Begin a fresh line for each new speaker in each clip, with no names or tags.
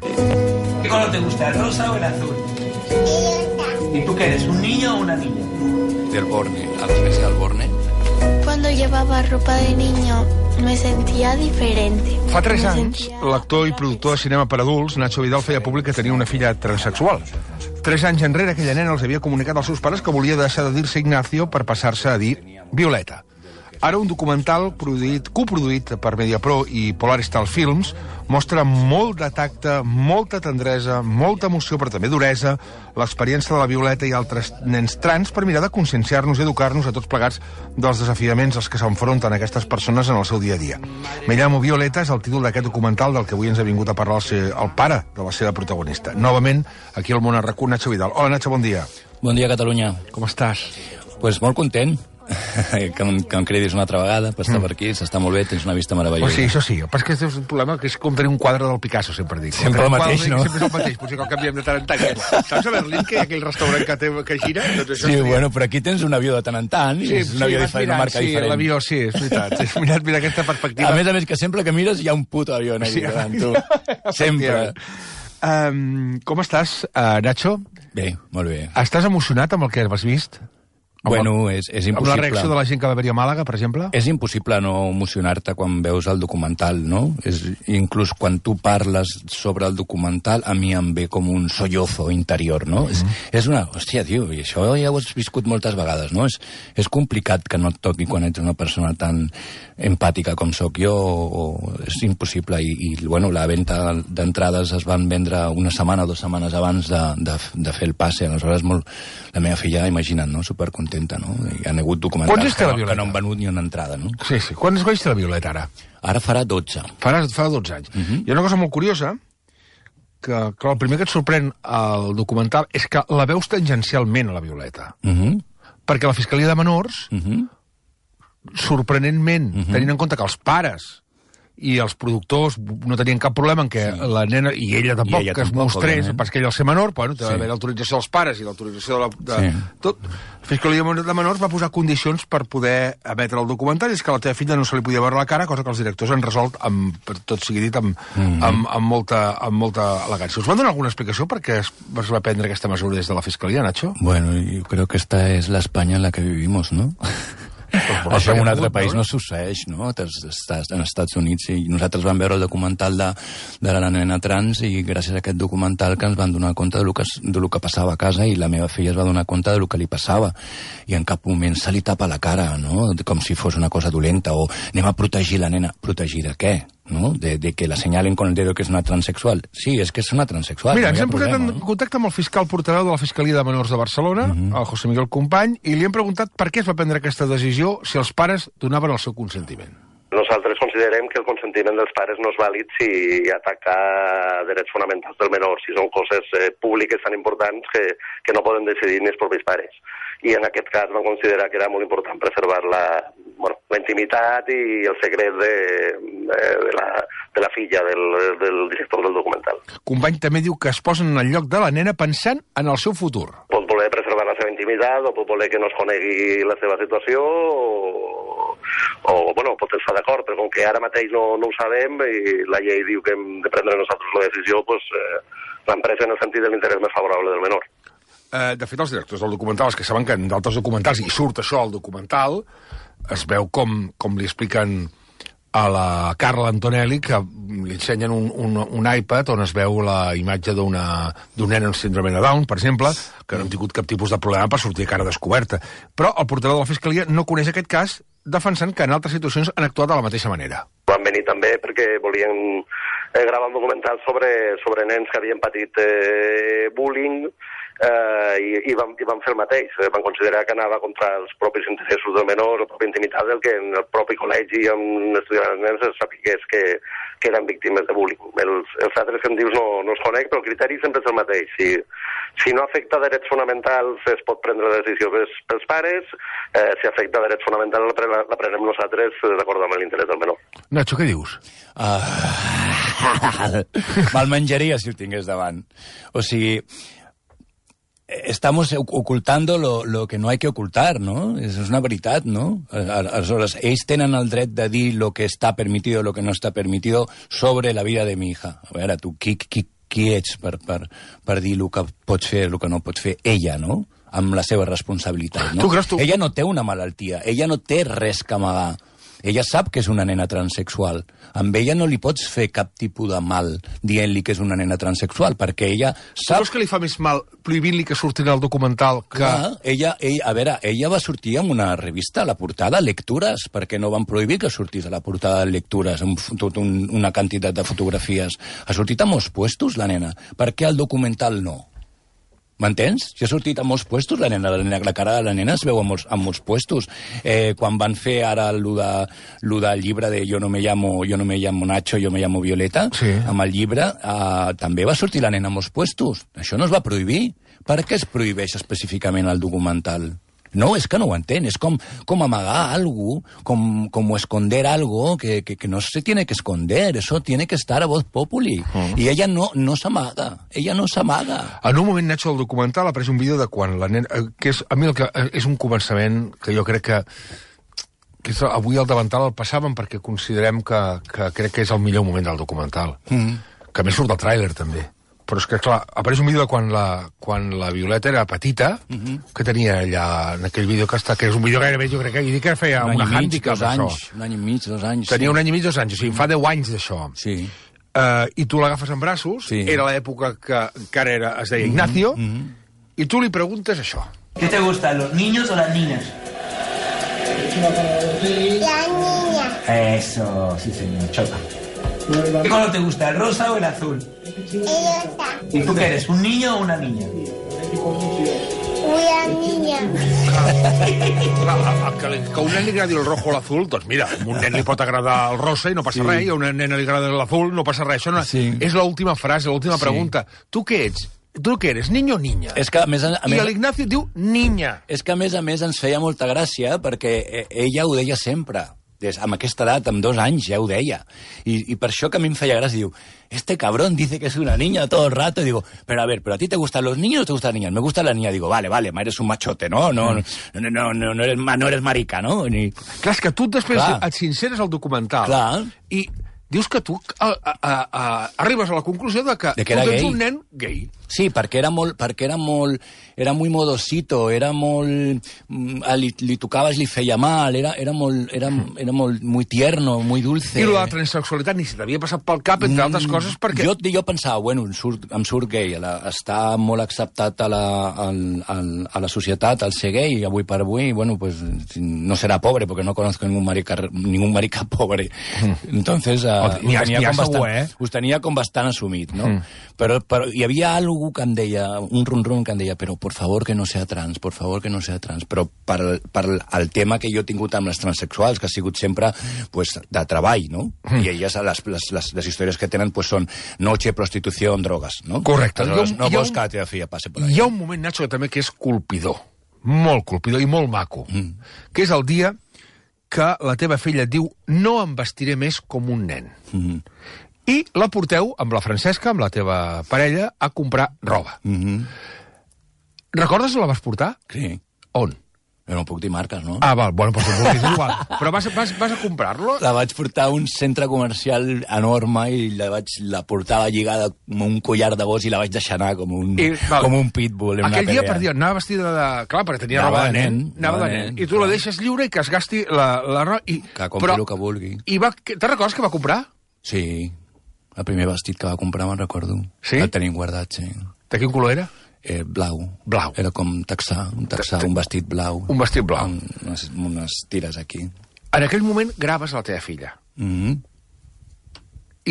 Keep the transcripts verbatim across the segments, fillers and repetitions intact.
¿Qué color te gusta, el rosa o el azul? ¿Y tú qué eres, un niño o una niña?
Del Borne, a la iglesia del Borne.
Cuando llevaba ropa de niño me sentia diferente.
Fa tres
Me
anys,
sentia-
l'actor i productor de cinema per adults, Nacho Vidal, feia públic que tenia una filla transexual. Tres anys enrere, aquella nena els havia comunicat als seus pares que volia deixar de dir-se Ignacio per passar-se a dir Violeta. Ara un documental produït, coproduït per Mediapro i Polaristal Films mostra molt de tacte, molta tendresa, molta emoció, però també duresa, l'experiència de la Violeta i altres nens trans per mirar de conscienciar-nos i educar-nos a tots plegats dels desafiaments als que s'enfronten aquestes persones en el seu dia a dia. Me llamo Violeta és el títol d'aquest documental del que avui ens ha vingut a parlar el, seu, el pare de la seva protagonista. Novament, aquí al Món a RAC u, Nacho Vidal. Hola, Nacho, bon dia.
Bon dia, Catalunya.
Com estàs?
Pues molt content que em, que em cridis una altra vegada per estar mm. per aquí, s'està molt bé, tens una vista meravellosa.
Pues sí, això sí, però és que és un problema que és com tenir un quadre del Picasso, sempre dic.
Sempre el mateix, no?
Sempre és el mateix, potser que el canviem de tant en tant. Saps a Berlín que hi ha aquell restaurant que, té, que gira? Doncs això
Sí,
seria...
bueno, però aquí tens un avió de tant en tant, sí, és un avió
vas
diferent,
mirant,
una marca
sí,
diferent.
Sí, l'avió, sí, és veritat. Has mirat, mira aquesta perspectiva.
A més a més, que sempre que mires hi ha un puto avió en aquí
Sí,
davant tu. Sempre.
Um, com estàs, uh, Nacho?
Bé, molt bé.
Estàs emocionat amb el que has vist? Amb
Bueno,
el,
és, és
amb
impossible.
la reacció de la gent que va haver-hi a Màlaga, per exemple?
És impossible no emocionar-te quan veus el documental, no? És, inclús quan tu parles sobre el documental, a mi em ve com un sollozo interior, no? Mm. És, és una... Hòstia, tio, i això ja ho has viscut moltes vegades, no? És, és complicat que no et toqui quan ets una persona tan empàtica com sóc jo, o, o és impossible. I, i bueno, la venda d'entrades es van vendre una setmana o dues setmanes abans de, de, de fer el passe. Aleshores, molt... la meva filla, imagina't, no? Supercontenta, no? Hi ha hagut documentals que, que no han venut ni una entrada, no?
Sí, sí. Quants anys té la Violeta, ara?
Ara farà dotze.
Farà, fa dotze anys. Uh -huh. Hi ha una cosa molt curiosa, que, que el primer que et sorprèn al documental és que la veus tangencialment, a la Violeta.
Uh -huh.
Perquè la Fiscalia de Menors,
Uh -huh.
sorprenentment, uh -huh. tenint en compte que els pares i els productors no tenien cap problema en què sí. la nena, i ella tampoc,
I ella
que es
tampoc,
mostrés,
òbviament.
perquè ella al ser menor, bueno, té
Sí.
d'haver l'autorització dels pares i l'autorització de la... De,
Sí.
tot. La Fiscalia de Menors va posar condicions per poder emetre el documental, i és que a la teva filla no se li podia veure la cara, cosa que els directors han resolt, amb, per tot sigui dit, amb, mm-hmm. amb, amb, molta, amb molta elegància. Us van donar alguna explicació per què es, es va prendre aquesta mesura des de la Fiscalia, Nacho?
Bueno, yo creo que esta es la España en la que vivimos, ¿no?
Pues
Això en un altre
hagut,
país
no?
no succeeix, no? Estàs en Estats Units i nosaltres vam veure el documental de, de la nena trans i gràcies a aquest documental que ens van donar compte de lo que, de lo que passava a casa i la meva filla es va donar compte de lo que li passava i en cap moment se li tapa la cara, no? Com si fos una cosa dolenta o anem a protegir la nena. Protegir de què? ¿No? De, de que la señalen con el dedo que és una transexual. Sí, és que és una transexual.
Mira,
no
ens hem posat
problema,
en
no?
contacte amb el fiscal portaveu de la Fiscalia de Menors de Barcelona, uh -huh. el José Miguel Company, i li hem preguntat per què es va prendre aquesta decisió si els pares donaven el seu consentiment.
Nosaltres considerem que el consentiment dels pares no és vàlid si ataca drets fonamentals del menor, si són coses eh, públiques tan importants que, que no poden decidir ni els propis pares. I en aquest cas vam considerar que era molt important preservar la, bueno, la intimitat i el secret de, de, de, la, de la filla del, del director del documental.
Company també diu que es posen en el lloc de la nena pensant en el seu futur.
Pot voler preservar la seva intimitat o pot voler que no es conegui la seva situació o, o bueno, pot estar d'acord, però com que ara mateix no, no ho sabem i la llei diu que hem de prendre nosaltres la decisió, doncs, eh, l'empresa en el sentit de l'interès més favorable del menor.
Eh, de fet, els directors del documental, els que saben que en d'altres documentals, i surt això al documental, es veu com, com li expliquen a la Carla Antonelli que li ensenyen un, un, un iPad on es veu la imatge d'una d'un nen amb síndrome de Down, per exemple, que no han tingut cap tipus de problema per sortir a cara descoberta. Però el portaveu de la Fiscalia no coneix aquest cas, defensant que en altres situacions han actuat de la mateixa manera.
Van venir també perquè volien eh, gravar un documental sobre, sobre nens que havien patit eh, bullying, eh, i, i, van, i van fer el mateix. Van considerar que anava contra els propis interessos del menor, la pròpia intimitat, del que en el propi col·legi on estudiaven els nens es sapigués que, que eren víctimes de bullying. Els, els altres que em dius no, no es conec, però el criteri sempre és el mateix. Si, si no afecta drets fonamentals es pot prendre la decisió pels, pels pares, eh, si afecta drets fonamentals la, pre, la prenem nosaltres d'acord amb l'interès del menor.
Nacho, què dius?
Uh, me'l menjaria si el tingués davant. O sigui, estamos ocultando lo, lo que no hay que ocultar, ¿no? És una veritat, ¿no? Aleshores, ells tenen el dret de dir lo que està permitido, lo que no està permitido sobre la vida de mi hija. A veure, tu, qui, qui, qui ets per, per, per dir el que pots fer, el que no pots fer ella, no? Amb la seva responsabilitat, no?
Tu creus, tu...
Ella no té una malaltia, ella no té res que amagar. Ella sap que és una nena transexual. Amb ella no li pots fer cap tipus de mal dient-li que és una nena transexual, perquè ella sap...
Tu creus que li fa més mal prohibint-li que surti en el documental que...
Clar, ella, ella, a veure, ella va sortir en una revista, a la portada, Lectures, perquè no van prohibir que sortís a la portada de Lectures, amb tot un, una quantitat de fotografies. Ha sortit a molts puestos, la nena. Per què el documental no? M'entens? Si ha sortit a molts puestos, la nena, la, nena, la cara de la nena es veu a molts, a molts puestos. Eh, quan van fer ara lo, de, lo del llibre de Jo no me llamo, jo no me llamo Nacho, jo me llamo Violeta, sí. Amb el llibre eh, també va sortir la nena a molts puestos. Això no es va prohibir. Per què es prohibeix específicament el documental? No, és que no ho entén. És com, com amagar algo, com, com esconder algo que, que, que no se tiene que esconder. Eso tiene que estar a voz populi. Uh-huh. I ella no, no s'amaga. Ella no s'amaga.
En un moment, Nacho, del documental ha pres un vídeo de quan la nena... Que és, a mi el que, és un començament que jo crec que... que és, avui al davantal el passàvem perquè considerem que, que crec que és el millor moment del documental. Mm. Que a més surt del tràiler, també. Però és que, clar, apareix un vídeo de quan la, quan la Violeta era petita, uh-huh. que tenia allà, en aquell vídeo que està, que és un vídeo gairebé, jo crec que, i dic que feia
un
una
mig,
hàndicap,
dos
això.
Anys, un any i mig, dos anys.
Tenia
sí.
un any i mig, dos anys, o sigui, fa deu anys d'això.
Sí.
Uh, I tu l'agafes en braços, sí. Era l'època que encara era, es deia Ignacio, uh-huh. i tu li preguntes això.
¿Qué te gustan, los niños o las niñas?
La niña.
Eso, sí señor, choca. ¿Qué color te gusta, el rosa o el azul?
El rosa.
¿Y tú qué eres, un niño o una niña?
Una niña.
Clar, que, que a un nen li agradi el rojo o l'azul, doncs mira, a un nen li pot agradar el rosa i no passa sí. res, i a una nena li agrada l'azul, no passa res. Això no, sí. És l'última frase, l'última sí. pregunta. Tu què ets? Tu què eres, niño o niña?
És que, a més, a, a
I
més,
l'Ignacio diu niña.
És que, a més a més, ens feia molta gràcia perquè ella ho deia sempre. Des, amb aquesta edat, amb dos anys, ja ho deia. I, I per això que a mi em feia gràcia, diu, este cabrón dice que es una niña todo el rato. Y digo, pero a ver, ¿pero a ti te gustan los niños o te gustan las niñas? Me gusta la niña. Digo, vale, vale, eres un machote, ¿no? No, no, no, no, no, eres, no eres marica, ¿no? Ni...
Clar, és que tu després Clar. et sinceres al documental.
Clar.
I dius que tu a, a, a, a, arribes a la conclusió de que,
de que era
tu ets
gay.
un nen gay.
Sí, perquè era molt, perquè era molt, era muy modosito, era molt, li, li tocaves, li feia mal, era, era molt, era, era molt, muy tierno, muy dulce.
I la transsexualitat ni se t'havia passat pel cap, entre altres mm, coses, perquè...
Jo, jo pensava, bueno, em surt, em surt gay, la, està molt acceptat a la, a, a, a la societat, al ser gay, avui per avui, bueno, pues no serà pobre, perquè no conozco ningún marica, ningún marica pobre. Mm. Entonces, uh, ho, tenia com bastant, segur, eh? Ho tenia com bastant assumit, no? Mm. Però, però hi havia algo que em deia, un rum-rum que em deia, però por favor que no sea trans, por favor que no sea trans. Però per, per el tema que jo he tingut amb les transsexuals, que ha sigut sempre pues, de treball, no? Mm. I elles, les, les, les, les històries que tenen pues, són noche, prostitució, drogues, no?
Correcte.
Aleshores, no vols
un,
que la teva filla passi per allà.
Hi ha un moment, Nacho, també que és colpidor, molt colpidor i molt maco, mm. que és el dia que la teva filla et diu no em vestiré més com un nen. Mm. I la porteu, amb la Francesca, amb la teva parella, a comprar roba. Mm-hmm. Recordes on la vas portar?
Sí.
On?
Jo no puc dir marques, no?
Ah, val, bueno, però doncs és igual. Però vas, vas, vas a comprar-lo?
La vaig portar a un centre comercial enorme i la, vaig, la portava lligada com un collar de gos i la vaig deixar anar com un, I, com un pitbull.
Aquell dia, per dir, anava vestida de... Clar, perquè tenia anava roba de nen. nen anava de nen. nen. I tu clar. la deixes lliure i que es gasti la, la roba... I,
que compri però, el que vulgui.
I va, te'n recordes que va comprar?
Sí. El primer vestit que va comprar me'n recordo. Sí? El tenim guardat, sí.
De quin color era?
Eh, blau.
Blau.
Era com texà, un texà, un vestit blau.
Un vestit blau.
Amb unes, unes tires aquí.
En aquell moment graves la teva filla. Mm-hmm.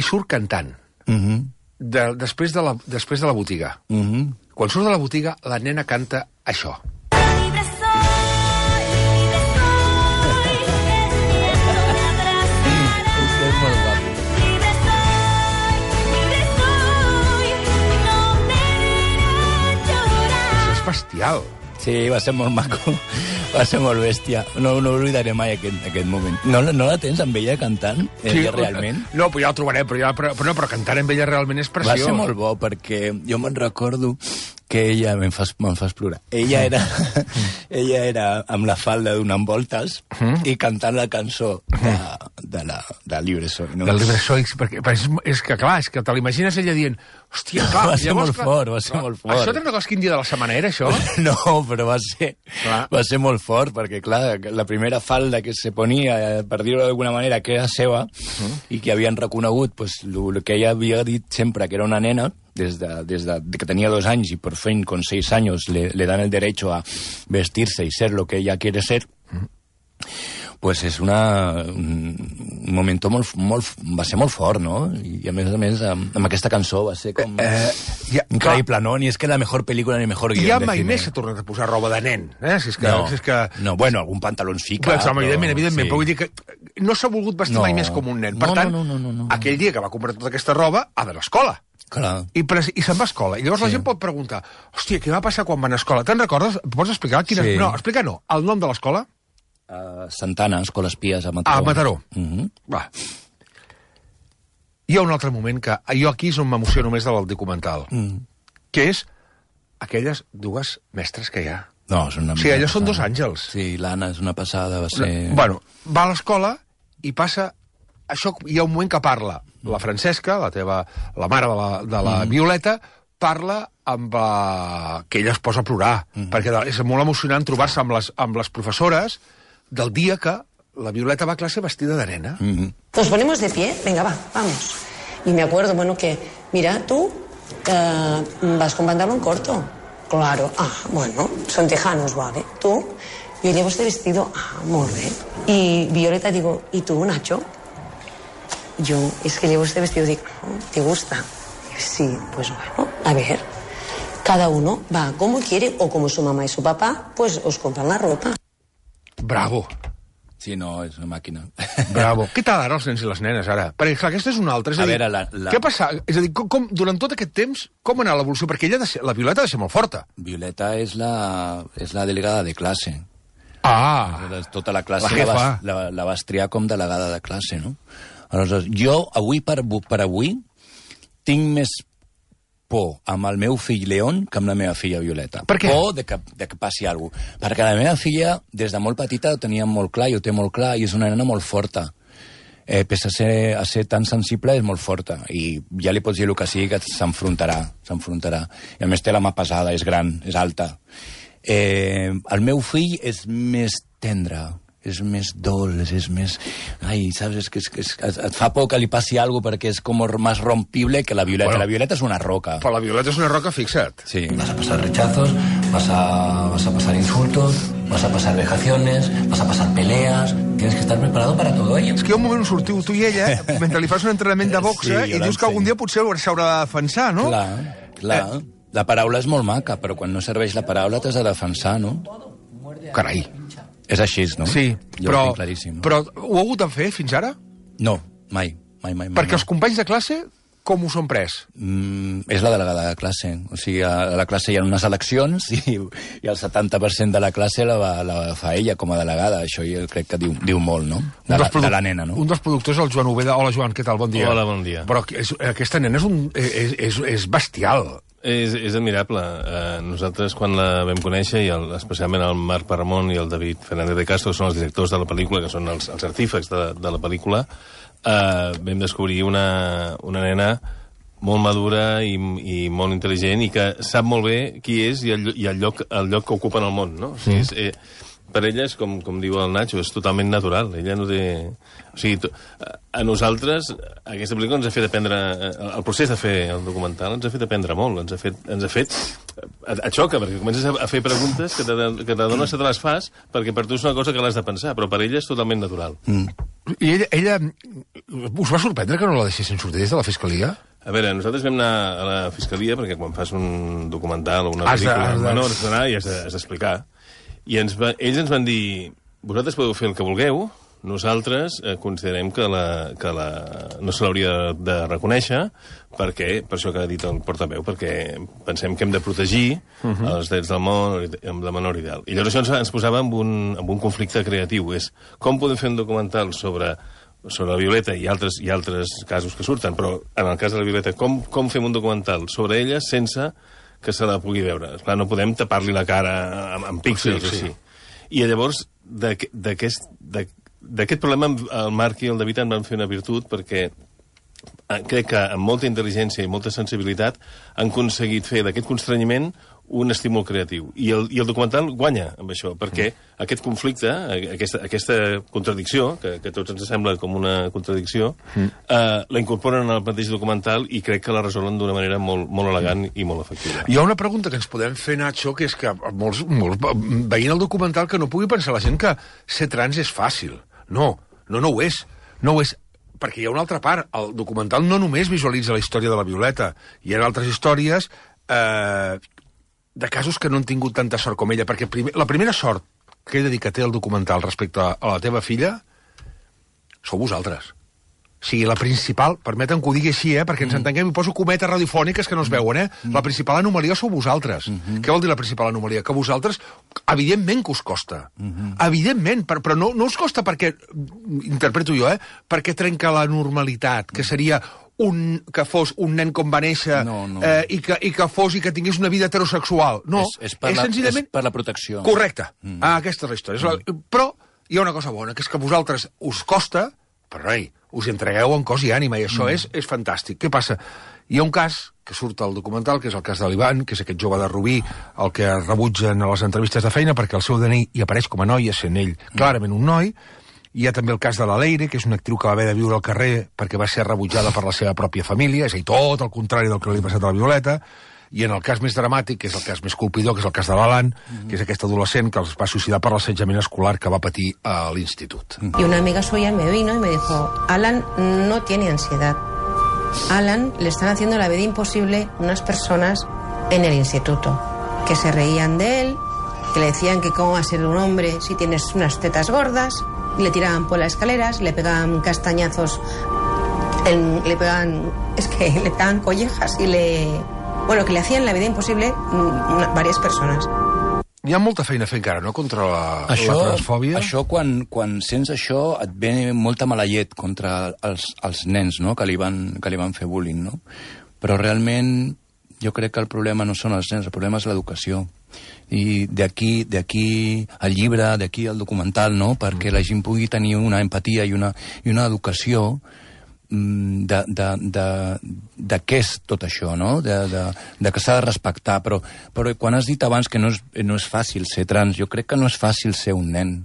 I surt cantant. Mm-hmm. De, després, de la, després de la botiga. Mm-hmm. Quan surt de la botiga, la nena canta això. Libre soy, libre soy, el cielo me abrazará.
És molt guapo.
Bestial.
Sí, va ser molt maco, va ser molt bèstia. No, no oblidaré mai aquest, aquest moment. No, no la tens amb ella cantant, ella sí, realment?
No, però ja la trobarem, però, ja, però, però, no, però cantar amb ella realment és preciós.
Va ser molt bo, perquè jo me'n recordo que ella, me'n fas, me'n fas plorar, ella era, ella era amb la falda donant voltes mm. i cantant la cançó de, de, la, de Libre Soy. No?
Del Libre Soy, perquè, perquè és, és que, clar, és que te l'imagines ella dient, hòstia, clar,
va ser
llavors,
molt
clar,
fort, va ser
clar,
molt fort.
Això té una cosa quin dia de la setmana era, això?
No, però va ser, clar. va ser molt fort, perquè, clar, la primera falda que se ponia, per dir-ho d'alguna manera, que era seva, mm. i que havien reconegut, pues, el que ella havia dit sempre, que era una nena, des de, des de, de que tenia dos anys i por fin con seis años le, le dan el derecho a vestirse y ser lo que ella quiere ser, mm. pues és una, un moment molt, molt, va ser molt fort, no? I a més a més, amb, amb aquesta cançó va ser com eh, ja, increïble, clar. No? Ni és que la millor pel·lícula ni mejor guió.
I ja mai més s'ha tornat a posar roba de nen, eh? Si és que,
no,
si és que...
no, bueno, algun pantalons fica.
Però, però, evidentment, evidentment, sí. Però vull dir que no s'ha volgut vestir
no.
mai més com un nen. Per
no,
tant,
no, no, no, no, no.
aquell dia que va comprar tota aquesta roba, ha d'anar a l'escola.
Clar.
I, i se'n va a escola. I llavors sí. La gent pot preguntar, hòstia, què va passar quan van a escola? Te'n recordes? Pots explicar? Quina... Sí. No, explica no. El nom de l'escola?
Uh, Santana, Escola Espies a Mataró.
A Mataró.
Uh -huh.
Va. Hi ha un altre moment que jo aquí és on m'emociono més del documental, mm. que és aquelles dues mestres que hi ha.
No, són una
o sigui, allò són dos àngels.
Sí, l'Anna és una passada, va ser...
Bueno, va a l'escola i passa... Això, hi ha un moment que parla la Francesca, la teva, la mare de la, de la mm. Violeta, parla amb la... que ella es posa a plorar, mm. perquè és molt emocionant trobar-se amb, les, amb les professores del dia que la Violeta va a clase vestida de nena.
Mm-hmm. Nos ponemos de pie, venga, va, vamos. Y me acuerdo, bueno, que, mira, tú eh, vas con pantalón corto. Claro, ah, bueno, son tejanos, vale. Tú, yo llevo este vestido, ah, muy bien. Y Violeta digo, ¿y tú, Nacho? Yo, es que llevo este vestido, digo, ¿te gusta? Sí, pues bueno, a ver, cada uno va como quiere o como su mamá y su papá, pues os compran la ropa.
Bravo.
Sí, no, és una màquina.
Bravo. Què tal ara els nens i les nenes, ara? Perquè, clar, aquesta és una altra. És a, a dir, veure, la, la... què passa? És a dir, com, com, durant tot aquest temps, com ha anat l'evolució? Perquè ella, de ser, la Violeta ha de ser molt forta.
Violeta és la, és la delegada de classe.
Ah!
Tota la classe la, la, vas, la, la vas triar com delegada de classe, no? Aleshores, jo, avui per, per avui, tinc més por amb el meu fill León que amb la meva filla Violeta.
Per què?
Por de que, de que passi alguna cosa. Perquè la meva filla, des de molt petita, ho tenia molt clar, i ho té molt clar, i és una nena molt forta. Eh, pese a ser, a ser tan sensible, és molt forta. I ja li pots dir el que sigui, que s'enfrontarà, s'enfrontarà. I a més té la mà pesada, és gran, és alta. Eh, el meu fill és més tendre, és més dolç, és més... Ai, saps, és que, és, és, et fa por que li passi alguna cosa perquè és com més rompible que la Violeta. Bueno, la Violeta és una roca.
Però la Violeta és una roca, fixa't.
Sí.
Vas a pasar rechazos, vas a, vas a pasar insultos, vas a pasar vejaciones, vas a pasar peleas... Tienes que estar preparado para todo ello.
És que hi ha un moment on sortiu tu i ella, mentre li fas un entrenament de boxa, sí, i dius que algun dia potser s'haurà de defensar, no?
Clar, clar. Eh. La paraula és molt maca, però quan no serveix la paraula t'has de defensar, no?
Carai.
És així, no?
Sí,
jo
però,
ho tinc claríssim. No?
Però ho ha hagut de fer fins ara?
No, mai, mai, mai.
Perquè
mai.
Els companys de classe, com ho són pres?
Mm, és la delegada de classe. O sigui, a la classe hi ha unes eleccions i, i el setanta per cent de la classe la, la fa ella com a delegada. Això jo crec que diu, diu molt, no? De, la, de la nena, no?
Un dels productors és el Joan Ubeda. Hola, Joan, què tal? Bon dia.
Hola, bon dia.
Però és, aquesta nena és, un, és, és, és bestial.
És, és admirable. Uh, nosaltres, quan la vam conèixer, i el, especialment el Marc Paramont i el David Fernández de Castro, que són els directors de la pel·lícula, que són els, els artífecs de, de la pel·lícula, uh, vam descobrir una, una nena molt madura i, i molt intel·ligent i que sap molt bé qui és i el, i el, lloc, el lloc que ocupa en el món, no? O sigui, és, eh, per ella és, com, com diu el Nacho, és totalment natural. Ella no té... O sigui, to... a nosaltres, aquesta pel·lícula ens ha fet aprendre... El procés de fer el documental ens ha fet aprendre molt. Ens ha fet... Ens ha fet... Et xoca, perquè comences a fer preguntes que t'adones que te les fas perquè per tu és una cosa que l'has de pensar, però per ella és totalment natural. Mm.
I ella, ella... Us va sorprendre que no la deixessin sortir des de la Fiscalia?
A veure, nosaltres vam anar a la Fiscalia perquè quan fas un documental o una pel·lícula amb menors has d'anar i has d'explicar. I ens va, ells ens van dir, vosaltres podeu fer el que vulgueu, nosaltres eh, considerem que, la, que la, no se l'hauria de, de reconèixer, perquè, per això que ha dit el portaveu, perquè pensem que hem de protegir uh -huh. els drets del món amb la menor ideal. I llavors això ens, ens posava en un, en un conflicte creatiu, és com podem fer un documental sobre sobre la Violeta i altres, i altres casos que surten, però en el cas de la Violeta, com, com fem un documental sobre ella sense que se la pugui veure. Esclar, no podem tapar-li la cara amb, amb píxels, sí, sí. així. I llavors, d'aquest problema, el Marc i el David en van fer una virtut, perquè crec que amb molta intel·ligència i molta sensibilitat han aconseguit fer d'aquest constrenyiment un estímul creatiu. I el, i el documental guanya amb això, perquè mm. aquest conflicte, aquesta, aquesta contradicció, que, que a tots ens sembla com una contradicció, mm. eh, la incorporen al mateix documental i crec que la resolen d'una manera molt, molt elegant mm. i molt efectiva.
Hi ha una pregunta que ens podem fer, Nacho, que és que molts, molts, veient el documental, que no pugui pensar la gent que ser trans és fàcil. No, no, no ho és. No ho és. Perquè hi ha una altra part. El documental no només visualitza la història de la Violeta. Hi ha altres històries eh, de casos que no han tingut tanta sort com ella. Perquè primer, la primera sort que he de dir que té el documental respecte a, a la teva filla sou vosaltres. O sigui, la principal, permetem que ho digui així, eh, perquè ens entenguem, i poso cometes radiofòniques que no es veuen, eh? La principal anomalia sou vosaltres. Mm-hmm. Què vol dir la principal anomalia? Que vosaltres, evidentment que us costa. Mm-hmm. Evidentment, però, però no, no us costa perquè, interpreto jo, eh, perquè trenca la normalitat, que seria un, que fos un nen com va néixer
no, no.
Eh, i, que, i que fos i que tingués una vida heterosexual. No,
és, és, per,
és
la,
senzillament...
és per la protecció.
Correcte. Mm. Ah, aquesta és la història. Mm. La... Però hi ha una cosa bona, que és que a vosaltres us costa, però ei, us entregueu en cos i ànima, i això mm. és, és fantàstic. Què passa? Hi ha un cas que surt al documental, que és el cas de l'Ivan, que és aquest jove de Rubí, el que rebutgen a les entrevistes de feina perquè el seu D N I hi apareix com a noia, sent ell clarament un noi. Hi ha també el cas de la Leire, que és una actriu que va haver de viure al carrer perquè va ser rebutjada per la seva pròpia família, és a dir, tot el contrari del que li ha passat a la Violeta. I en el cas més dramàtic, que és el cas més colpidor, que és el cas de l'Alan, mm-hmm. que és aquest adolescent que els va suïcidar per l'assetjament escolar que va patir a l'institut.
Y una amiga suya me vino y me dijo, Alan no tiene ansiedad. Alan le están haciendo la vida imposible unas personas en el instituto, que se reían de él, que le decían que cómo va a ser un hombre si tienes unas tetas gordas, y le tiraban por las escaleras, le pegaban castañazos, en, le pegaban, es que le pegaban collejas y le... Bueno, que le hacían la vida impossible una, varias persones.
Hi ha molta feina a fer encara, no?, contra la, això, la transfòbia.
Això, quan, quan sents això, et ve molta mala llet contra els, els nens, no?, que li, van, que li van fer bullying, no? Però realment jo crec que el problema no són els nens, el problema és l'educació. I d'aquí d'aquí el llibre, d'aquí el documental, no?, perquè la gent pugui tenir una empatia i una, i una educació de, de, de, de què és tot això, no? De, de, de que s'ha de respectar, però, però quan has dit abans que no és, no és fàcil ser trans, jo crec que no és fàcil ser un nen.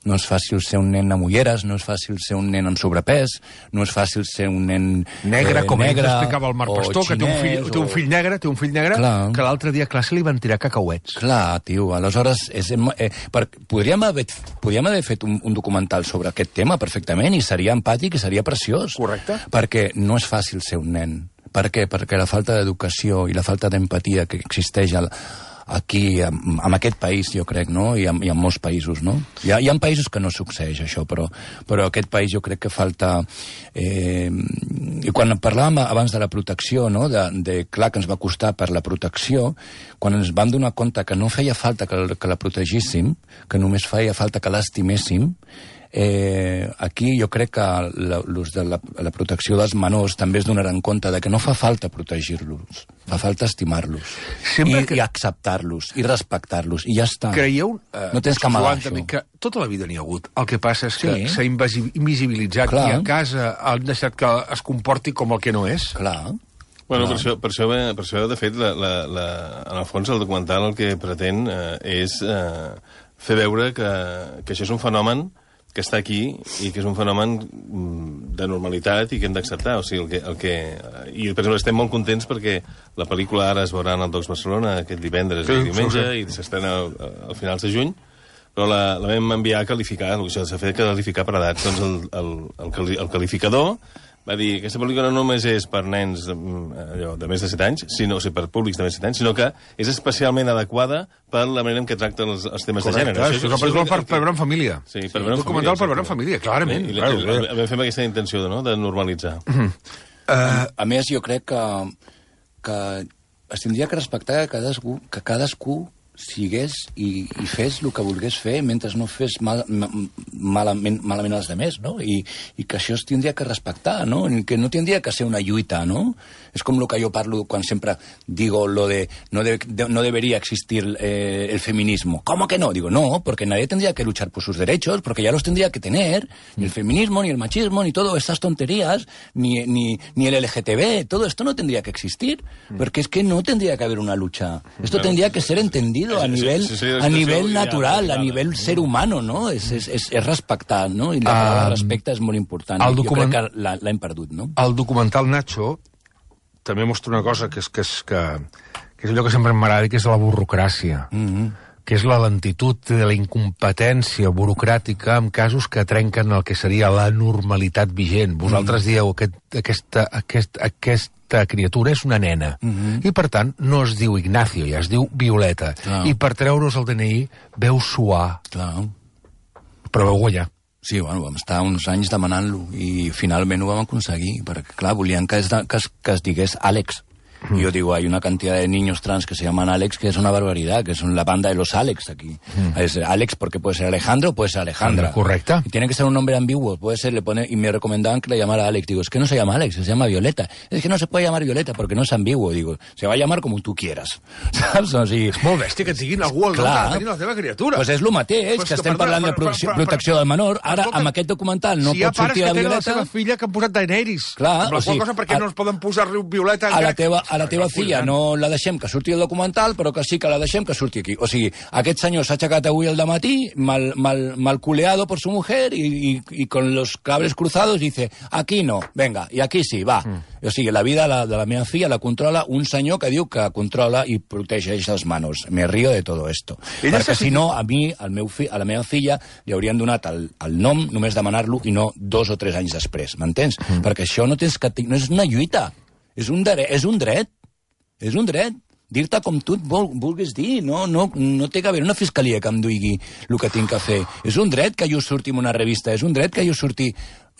No és fàcil ser un nen amb ulleres, no és fàcil ser un nen amb sobrepès, no és fàcil ser un nen
negre,
eh,
com
negre,
explicava el Marc Pastor, que té un fill, o... té un fill negre, té un fill negre, clar. Que l'altre dia a classe li van tirar cacauets.
Clar, tio, aleshores és, eh, per, podríem, haver, podríem haver fet un, un documental sobre aquest tema perfectament i seria empàtic i seria preciós.
Correcte.
Perquè no és fàcil ser un nen. Per què? Perquè la falta d'educació i la falta d'empatia que existeix al aquí, en, en aquest país, jo crec, no? I en, i en molts països, no? Hi ha, hi ha països que no succeeix això, però, però aquest país jo crec que falta... Eh, I quan parlàvem abans de la protecció, no?, de, de clar que ens va costar per la protecció, quan ens vam donar compte que no feia falta que, que la protegíssim, que només feia falta que l'estiméssim, Eh, aquí jo crec que l'ús de la, la protecció dels menors també es donaran compte de que no fa falta protegir-los, fa falta estimar-los i, que... i acceptar-los i respectar-los i ja està.
Creieu, eh,
no tens que amagar això.
Que tota la vida n'hi ha hagut. El que passa és que s'ha sí. invisibilitzat i a casa han deixat que es comporti com el que no és.
Clar.
Bueno, per això, per, això, per això, de fet, la, la, la, en el fons, el documental el que pretén eh, és eh, fer veure que, que això és un fenomen que està aquí i que és un fenomen de normalitat i que hem d'acceptar. O sigui, el que, el que... I, per exemple, estem molt contents perquè la pel·lícula ara es veurà en el Docs Barcelona aquest divendres sí, i diumenge sí, sí. i s'estrena al finals de juny, però la, la vam enviar a qualificar, el que s'ha fet qualificar per edats. Doncs el, el, el, el qualificador va dir que aquesta pel·lícula no només és per nens allò, de més de set anys, sinó, o sigui, per públics de més de set anys, sinó que és especialment adequada per la manera en què tracta els, els temes
Correcte,
de gènere.
Això és una pel·lícula per, per veure en família.
Sí, per veure en
documental
família.
Per veure en família, clarament.
I, i, clar, i, i, vam fer aquesta intenció no? de normalitzar.
Uh -huh. uh,
a, a més, jo crec que, que es tindria que respectar que cadascú, que cadascú sigués i, i fes el que volgués fer mentre no fes mal, malament, malament als demés, no? I, I que això es tindria que respectar, no? Que no tindria que ser una lluita, no? És com el que jo parlo quan sempre digo lo de no, de, de, no debería existir eh, el feminismo. ¿Cómo que no? Digo, no, porque nadie tendría que luchar por sus derechos, porque ya los tendría que tener. Ni el feminismo, ni el machismo, ni todas estas tonterías, ni, ni, ni el L G T B, todo esto no tendría que existir, porque es que no tendría que haber una lucha. Esto tendría que ser entendido a nivel, a nivel natural, a nivel ser humano, no? És, és, és, és respectar, no? I la paraula um, respecte és molt important. Document... Jo crec que l'hem perdut, no?
El documental Nacho també mostra una cosa que és, que és, que, que és allò que sempre m'agrada, que és la burocràcia, mm-hmm. que és la lentitud de la incompetència burocràtica en casos que trenquen el que seria la normalitat vigent. Vosaltres mm. dieu aquest, aquesta, aquest, aquesta criatura és una nena, mm-hmm. i per tant no es diu Ignacio, ja es diu Violeta, ah. i per treure's el D N I veu suar.
Clar.
Però veu guanyar.
Sí, bueno, vam estar uns anys demanant-lo i finalment ho vam aconseguir, perquè, clar, volien que es, que es, que es digués Àlex. Mm. Yo digo, hay una cantidad de niños trans que se llaman Alex, que es una barbaridad, que son la banda de los Alex aquí. Mm. Es Alex porque puede ser Alejandro o puede ser Alejandra.
Correcto.
Y tiene que ser un nombre ambiguo, puede ser, le pone, y me recomendaban que le llamara Alex. Digo, es que no se llama Alex, se llama Violeta. Es que no se puede llamar Violeta porque no es ambiguo. Digo, se va a llamar como tú quieras. Saps? O sigui,
és molt bèstia que et diguin algú el nom que tenir la teva criatura.
Pues és el mateix, pues que, que estem perdona, parlant de protecció, per, per, protecció del menor. Ara, escolta, amb aquest documental no si pot sortir la Violeta... Si hi ha pares que tenen la seva filla que han posat Daenerys.
Clar, amb la o sigui, cosa, per què a, no es poden posar-li Violeta...
A la teva, a la teva filla no la deixem que surti el documental, però que sí que la deixem que surti aquí. O sigui, aquest senyor s'ha aixecat avui al dematí, mal, mal, mal culeado por su mujer, y, y, y con los cables cruzados dice, aquí no, venga, i aquí sí, va. Mm. O sigui, la vida de la, de la meva filla la controla un senyor que diu que controla i protegeix les manos. Me río de todo esto. Ella perquè si no, a mi, al meu fi, a la meva filla, li haurien donat el, el nom, només demanar-lo, i no dos o tres anys després, m'entens? Mm. Perquè això no, tens que, no és una lluita, és un, dret, és un dret. És un dret. Dir-te com tu et vol, vulguis dir. No, no, no té que haver una fiscalia que em duigui el que tinc que fer. És un dret que jo surti en una revista, és un dret que jo surti...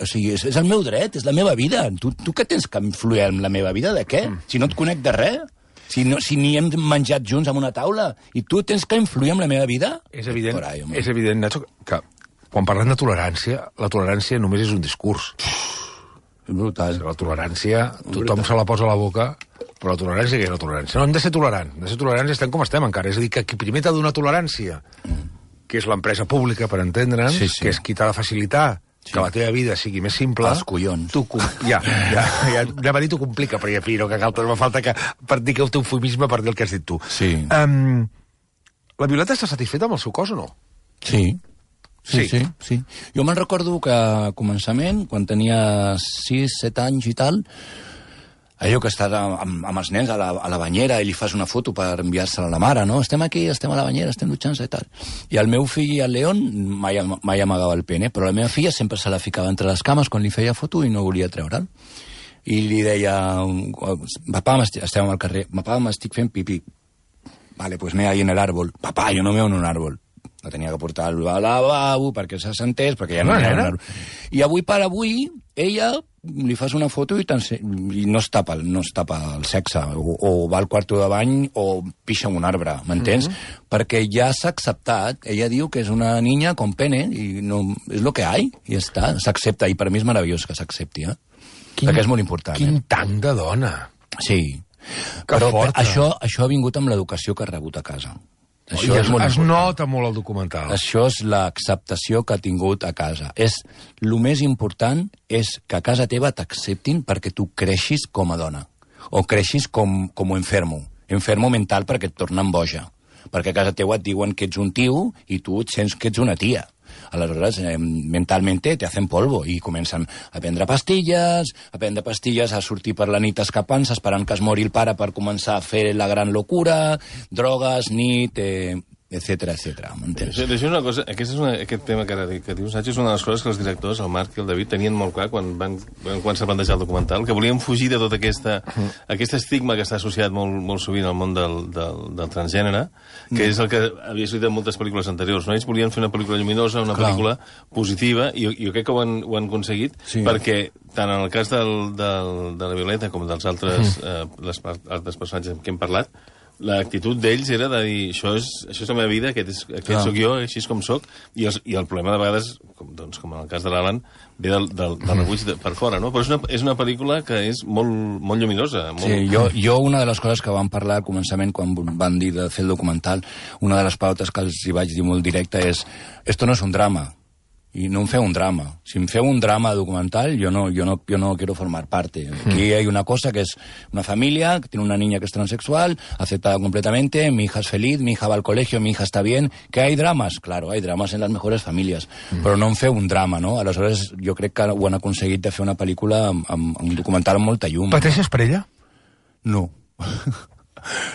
O sigui, és, és el meu dret, és la meva vida. Tu, tu què tens que influir en la meva vida? De què? Mm. Si no et conec de res? Si, no, si ni hem menjat junts en una taula? I tu tens que influir en la meva vida?
És evident, ahí, és evident, Nacho, que quan parlem de tolerància, la tolerància només és un discurs.
És brutal.
La tolerància, tothom se la posa a la boca... Però la tolerància, què és la tolerància? No, hem de ser tolerant. Hem de ser tolerants i estem com estem encara. És a dir, que qui primer t'ha de donar tolerància, que és l'empresa pública, per entendre'ns, sí, sí. que és qui t'ha de facilitar sí. que la teva vida sigui més simple...
Els collons.
Tu, ja, ja, ja, ja va dir, t'ho complica, però ja, fi, no, que cal, no falta que, per dir que el teu eufemisme per dir el que has dit tu.
Sí.
Um, la Violeta està satisfeta amb el seu cos o no?
Sí. Sí, sí, sí. sí. Jo me'n recordo que a començament, quan tenia sis, set anys i tal... allò que estàs amb, amb els nens a la, a la banyera i li fas una foto per enviar-se-la a la mare, no? Estem aquí, estem a la banyera, estem dutxant-se i tal. I el meu fill, el León, mai, mai amagava el pene, però la meva filla sempre se la ficava entre les cames quan li feia foto i no volia treure'l. I li deia, papà, estem al carrer, papà, m'estic fent pipí. Vale, pues me ahí en el árbol. Papà, jo no meo en un árbol. La tenia que portar al lavabo perquè se sentés, perquè ja no hi ha un árbol. I avui per avui, ella... li fas una foto i, i no, es tapa, no es tapa el sexe, o, o va al quarto de bany o pixa en un arbre, m'entens? Mm-hmm. Perquè ja s'ha acceptat, ella diu que és una niña con pene, i no, és lo que hay, i ja està, s'accepta, i per mi és meravellós que s'accepti, eh? Quin, perquè és molt important.
Quin
eh?
tanc de dona!
Sí, que però forta. Això, això ha vingut amb l'educació que ha rebut a casa.
Això es, es nota molt el documental.
Això és l'acceptació que ha tingut a casa. És, el més important és que a casa teva t'acceptin perquè tu creixis com a dona. O creixis com, com enfermo. Enfermo mental perquè et tornen boja. Perquè a casa teva et diuen que ets un tio i tu et sents que ets una tia. Aleshores, eh, mentalmente te hacen polvo i comencen a prendre pastilles, a prendre pastilles, a sortir per la nit escapant-se, esperant que es mori el pare per començar a fer la gran locura, drogues, nit, eh, etcètera, etcètera. M'entens?
Això és una cosa, aquest, és una, aquest tema que, ara, que dius, Nacho, és una de les coses que els directors, el Marc i el David, tenien molt clar quan van quan s'ha plantejat el documental, que volien fugir de tot aquesta, uh-huh. aquest estigma que està associat molt, molt sovint al món del, del, del transgènere, que uh-huh. és el que havia sortit en moltes pel·lícules anteriors. No? Ells volien fer una pel·lícula lluminosa, una clar. pel·lícula positiva, i jo crec que ho han, ho han aconseguit, sí. perquè tant en el cas del, del, de la Violeta com dels altres, uh-huh. eh, les altres personatges amb qui hem parlat, l'actitud d'ells era de dir això és, això és la meva vida, aquest, és, aquest
Ah.
sóc jo, així és com sóc, i, els, i el problema de vegades, com, doncs, com en el cas de l'Alan, ve del, del, del rebuig de, per fora, no? Però és una, és una pel·lícula que és molt, molt lluminosa. Molt...
Sí, jo, jo una de les coses que vam parlar al començament, quan van dir de fer el documental, una de les pautes que els hi vaig dir molt directa és esto no és un drama, y no em feu un drama. Si em feu un drama documental, yo no, yo no, yo no quiero formar parte. Aquí hay una cosa que es una familia, que tiene una niña que es transexual, aceptada completamente, mi hija es feliz, mi hija va al colegio, mi hija está bien. ¿Que hay dramas? Claro, hay dramas en las mejores familias, mm. però no em feu un drama, no? Aleshores, jo crec que ho han aconseguit de fer una pel·lícula amb, amb, amb un documental amb molta llum.
Pateixes per ella?
No.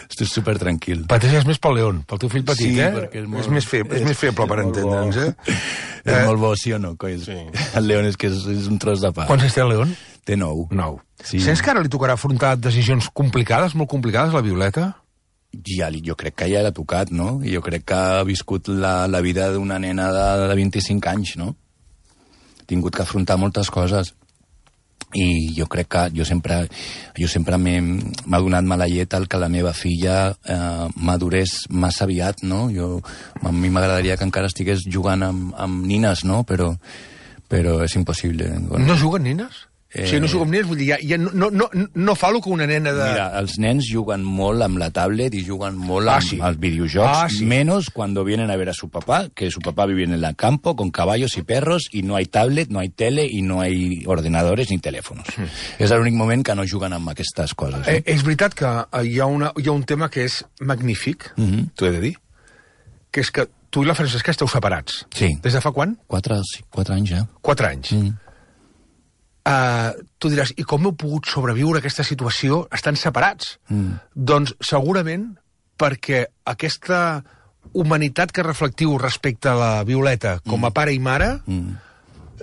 Estic super tranquil.
Pateixes més pel León, pel teu fill petit,
sí,
eh?
Perquè és, molt,
és més feble, és, és més feble per entendre'ns, eh?
És eh? molt bo, sí o no, coi? Sí. El León és que és, és un tros de pa.
Quants anys té el León?
Té nou.
Nou.
Sí.
Sents que ara li tocarà afrontar decisions complicades, molt complicades, la Violeta?
Ja, jo crec que ja l'ha tocat, no? Jo crec que ha viscut la, la vida d'una nena de, de vint-i-cinc anys, no? Ha tingut que afrontar moltes coses. I jo crec que jo sempre, jo sempre m'ha donat mala llet el que la meva filla eh, madurés massa aviat, no? Jo, a mi m'agradaria que encara estigués jugant amb, amb nines, no? Però, però és impossible. Bueno.
No juguen nines? Eh... O sigui, no juguen amb nines, vull dir, ja, ja no, no, no, no fa el que una nena de...
Mira, els nens juguen molt amb la tablet i juguen molt
ah,
amb
sí.
els videojocs,
ah, sí.
menos cuando vienen a ver a su papá, que su papá vive en el campo con caballos y perros y no hay tablet, no hay tele y no hay ordenadores ni teléfonos. Mm. És l'únic moment que no juguen amb aquestes coses.
Eh, és veritat que hi ha, una, hi ha un tema que és magnífic, mm -hmm. t'ho he de dir, que és que tu i la Francesca esteu separats.
Sí.
Des de fa quan?
Quatre, sí, quatre anys, ja.
Quatre anys. Mm. Uh, tu diràs, i com heu pogut sobreviure a aquesta situació estant separats? Mm. Doncs segurament perquè aquesta humanitat que reflectiu respecte a la Violeta com a mm. pare i mare, mm.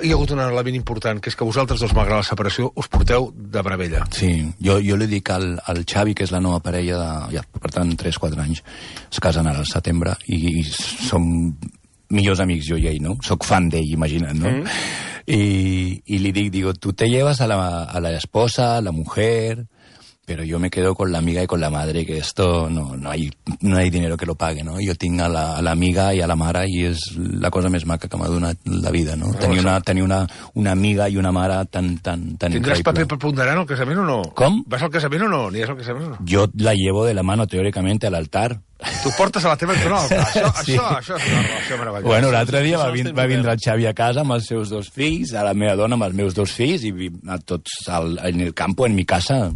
hi ha hagut un element important, que és que vosaltres dos, malgrat la separació, us porteu de meravella.
Sí, jo, jo li dic al, al Xavi, que és la nova parella de, ja, per tant, tres quatre anys, es casen ara al setembre, i, i som millors amics, jo i ell, no? Soc fan d'ell, imagina't, no? Mm. Y, y le digo, tú te llevas a la, a la esposa, a la mujer, pero yo me quedo con la amiga y con la madre, que esto no, no, hay, no hay dinero que lo pague, no? Jo tinc a la, a l'amiga i a la mare i és la cosa més maca que m'ha donat la vida, no? Tenir una, tenir una, una amiga i una mare tan, tan, tan
Tindràs
increïble.
paper preponderant al casament o no?
Com?
Vas al casament o no? Aniràs al casament o no?
Jo la llevo de la mano, teòricament, al altar.
Tu portes a la teva... No, això,
sí.
això, això és una relació meravellosa.
Bueno, l'altre dia va, vin, va vindre el Xavi a casa amb els seus dos fills, a la meva dona amb els meus dos fills, i a tots al, en el campo, en mi casa.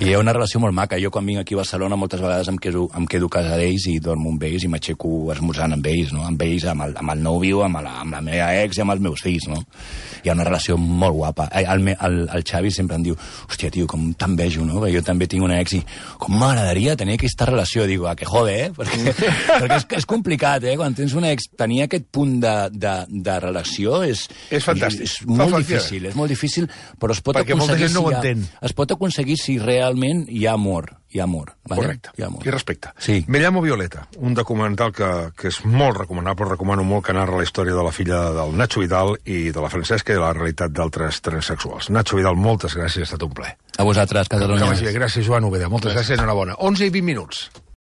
I hi ha una relació molt maca. Jo quan vinc aquí a Barcelona moltes vegades em quedo, em quedo a casa d'ells i dormo amb ells i m'aixeco esmorzant amb ells, no? Amb ells, amb el, amb el nòvio, amb la, amb la meva ex i amb els meus fills, no? Hi ha una relació molt guapa. El, el, el Xavi sempre em diu, hòstia, tio, com t'envejo, no? Jo també tinc una ex i com m'agradaria tenir aquesta relació. Digo, a que jode, eh? Perquè, perquè és, és complicat, eh? Quan tens una ex, tenir aquest punt de, de, de relació és...
És fantàstic.
És, és molt difícil, és molt difícil, però es pot
perquè
aconseguir...
Perquè molta gent no ho
si
entén.
Ha, es pot aconseguir si realment hi ha amor. Hi ha amor. Vale?
Correcte.
Hi ha amor.
I respecte.
Sí.
Me llamo Violeta, un documental que, que és molt recomanable, recomano molt, que narra la història de la filla del Nacho Vidal i de la Francesca i de la realitat d'altres transsexuals. Nacho Vidal, moltes gràcies, ha estat un plaer.
A vosaltres, Catalunya.
Que vagi bé. Gràcies, Joan Oveda. Moltes gràcies, gràcies enhorabona. onze i vint minuts.